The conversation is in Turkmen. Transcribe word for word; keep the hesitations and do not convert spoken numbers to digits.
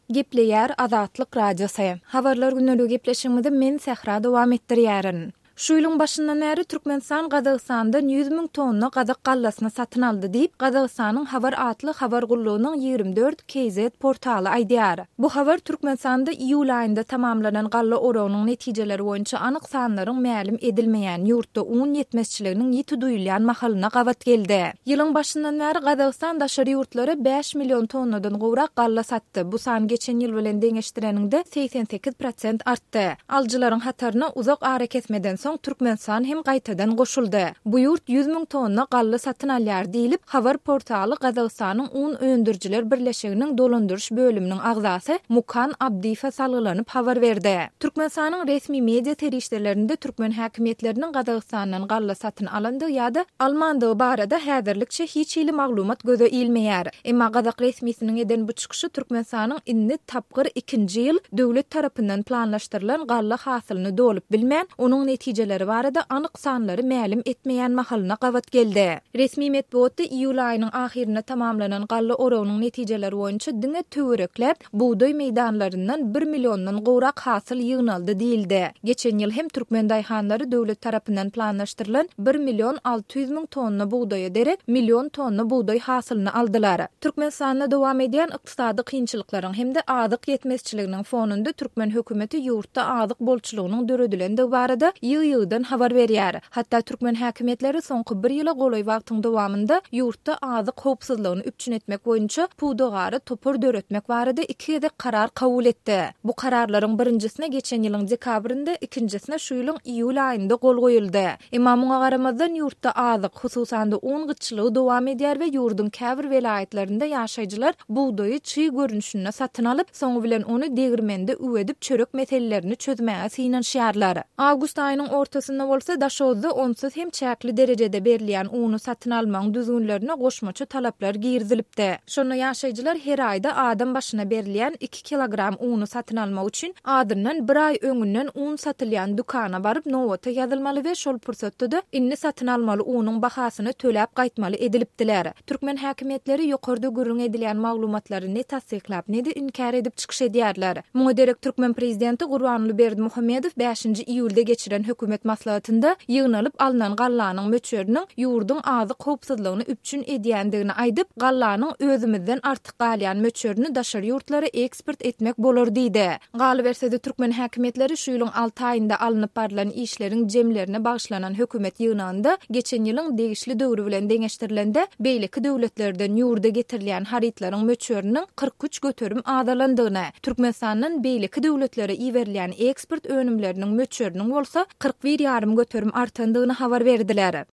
Gepleýär Azatlyk Radiosy. Habarlar gündeligi gepleşigimizi men Sähra dowam etdirýärin. Şu ýylyň başyndan bäri Türkmenistan Gazagystandan ýüz müň tonna gazak gallasyny satyn aldy diýip, Gazagystanyň Habar atly habar gullugynyň ýigrimi dört KZ portaly aýdýar. Bu habar Türkmenistanda iýul aýynda tamamlanan galla oragynyň netijeleri boýunça anyk sanlaryň mälim edilmeýän, ýurtda un ýetmezçiliginiň ýiti duýulýan mahalyna gabat geldi. Ýylyň başyndan bäri Gazagystan daşary ýurtlara bäş million tonnadan gowrak galla satdy. Bu san geçen ýyl bilen deňeşdireniňde segsen sekiz prosent artdy. Alyjylaryň hataryna uzak arakesmeden soň Türkmenistan hem gaýtadan goşuldy. Bu ýurt ýüz müň tonna galla satyn alýar diýlip, habar portaly Gazagystanyň un öndürijiler birleşiginiň dolandyryş bölüminiň agzasy Mukan Abdyýewe salgylanyp habar berdi. Türkmenistanyň resmi media serişdelerinde türkmen häkimiýetleriniň Gazagystandan galla satyn alandygy ýa-da almandygy barada häzirlikçe hiç hili maglumat göze ilmeýär. Emma gazak resmisiniň eden bu çykyşy Türkmenistanyň indi tapgyr ikinji ýyl döwlet tarapyndan planlaşdyrylan galla hasylyny dolup bilmän, onuň netijeleri barada anyk sanlary mälim etmeýän mahalyna gabat geldi. Resmi metbugatda iýul aýynyň ahyrynda tamamlanan galla oragynyň netijeleri boýunça diňe töwerekläp bugdaý meýdanlaryndan bir milliondan gowrak hasyl ýygnaldy diýildi. Geçen ýyl hem türkmen daýhanlary döwlet tarapyndan planlaşdyrylan bir million alty ýüz müň tonna bugdaýa derek million tonna bugdaý hasylyny aldylar. Türkmenistanda dowam edýän ykdysady kynçylyklaryň hem-de azyk ýetmezçiliginiň fonunda türkmen hökümeti ýurtda azyk bolçulygynyň döredilendigi barada ýygy-ýygydan habar berýär. Hatda türkmen häkimiýetleri soňky bir ýyla golaý wagtyň dowamynda ýurtda azyk howpsuzlygyny üpjün etmek boýunça pudagara topar döretmek barada iki gezek karar kabul etdi. Bu kararlaryň birinjisine geçen ýylyň dekabrynda, ikinjisine şu ýylyň iýul aýynda gol goýuldy. Emma muňa garamazdan ýurtda azyk, hususan-da un gytçylygy dowam edýär we ýurduň käbir welaýatlarynda ýaşaýjylar bugdaýy çig görnüşinde satyn alyp, soňy bilen ony degirmende üwedip çörek meselelerini çözmäge synanyşýarlar. Awgust aýynyň ortasynda bolsa Daşoguzda onsuz hem çäkli derejede berilýän uny satyn almagyň düzgünlerine goşmaça talaplar girizilipdi. Şonda ýaşaýjylar her aýda adam başyna berilýän iki kilogram uny satyn almak üçin adyndan bir aý öňünden un satylýan dükana baryp nobata ýazylmaly we şol pursatda-da indi satyn almaly unuň bahasyny töläp gaýtmaly edilipdiler. Türkmen häkimiýetleri ýokarda gürrüň edilýän maglumatlary ne tassyklap, ne-de inkär edip çykyş edýärler. Muňa derek türkmen prezidenti Gurbanguly Berdimuhamedow bäşinji iýulda geçiren hökümet maslahatynda ýygnalyp alnan gallanyň möçberiniň ýurduň azyk howpsuzlygyny üpjün edýändigini aýdyp, gallanyň özümizden artyk galýan möçberini daşary ýurtlara eksport etmek bolar diýdi. Galyberse-de türkmen häkimiýetleri şu ýylyň alty aýynda alnyp barlan işleriň jemlerine bagyşlanan hökümet ýygnagynda geçen ýylyň degişli döwri bilen deňeşdirilende beýleki döwletlerden ýurda getirilýän harytlaryň möçberiniň kyrk üç göterim azalandygyny, Türkmenistandan beýleki döwletlere iberilýän eksport önümleriniň möçberiniň bolsa kyrk bir ýarym göterim artandygyny habar berdiler.